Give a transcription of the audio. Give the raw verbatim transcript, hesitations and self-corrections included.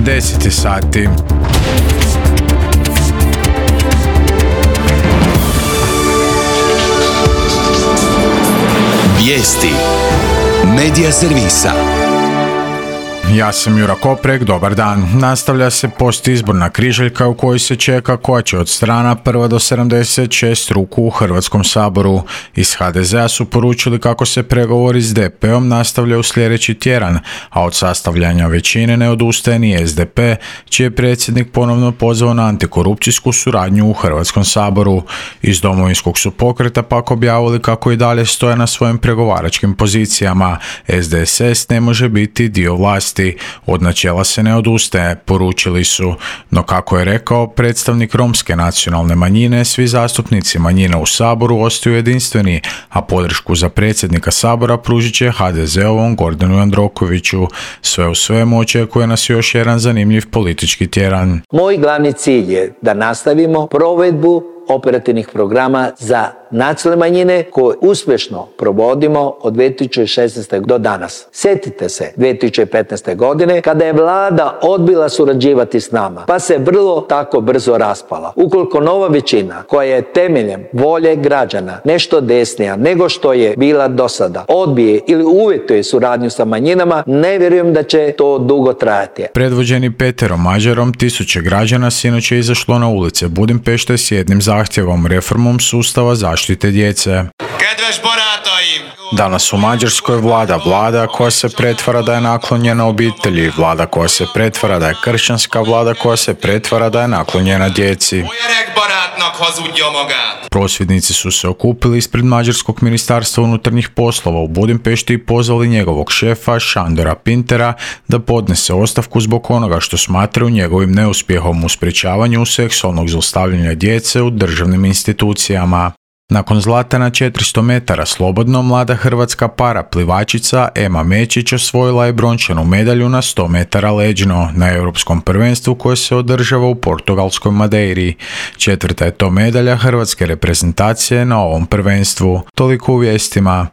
deset sati. Vijesti Medija servisa. Ja sam Jura Koprek, dobar dan. Nastavlja se postizborna križaljka u kojoj se čeka koja će od strana prva do sedamdeset šest ruku u Hrvatskom saboru. Iz ha de zea su poručili kako se pregovori s de peom nastavljaju sljedeći tjedan, a od sastavljanja većine ne odustaje ni es de pe, čiji je predsjednik ponovno pozvao na antikorupcijsku suradnju u Hrvatskom saboru. Iz Domovinskog su pokreta pak objavili kako i dalje stoje na svojim pregovaračkim pozicijama. es de es es ne može biti dio vlasti. Od načela se ne odustaje, poručili su. No kako je rekao predstavnik romske nacionalne manjine, svi zastupnici manjina u saboru ostaju jedinstveni, a podršku za predsjednika sabora pružit će ha de zeovom Gordanu Jandrokoviću. Sve u svemu očekuje nas još jedan zanimljiv politički tjedan. Moj glavni cilj je da nastavimo provedbu operativnih programa za nacionalne manjine koje uspješno provodimo od dvije tisuće šesnaeste do danas. Sjetite se dvije tisuće petnaeste. godine kada je vlada odbila surađivati s nama, pa se vrlo tako brzo raspala. Ukoliko nova većina koja je temeljem volje građana nešto desnija nego što je bila do sada odbije ili uvjetuje suradnju sa manjinama, ne vjerujem da će to dugo trajati. Predvođeni Peterom Mađarom, tisuće građana sinoć je izašlo na ulice Budimpešte s jednim zahtjevom, reformom sustava zaštite djece. Danas u Mađarskoj vlada vlada koja se pretvara da je naklonjena obitelji, vlada koja se pretvara da je kršćanska, vlada koja se pretvara da je naklonjena djeci. Prosvjednici su se okupili ispred Mađarskog ministarstva unutarnjih poslova u Budimpešti i pozvali njegovog šefa Šandora Pintera da podnese ostavku zbog onoga što smatraju njegovim neuspjehom u sprječavanju seksualnog zlostavljanja djece u državnim institucijama. Nakon zlata na četiristo metara slobodno, mlada hrvatska paraplivačica Ema Mečić osvojila je brončanu medalju na sto metara leđno na europskom prvenstvu koje se održava u portugalskoj Madeiri. Četvrta je to medalja hrvatske reprezentacije na ovom prvenstvu. Toliko u vijestima.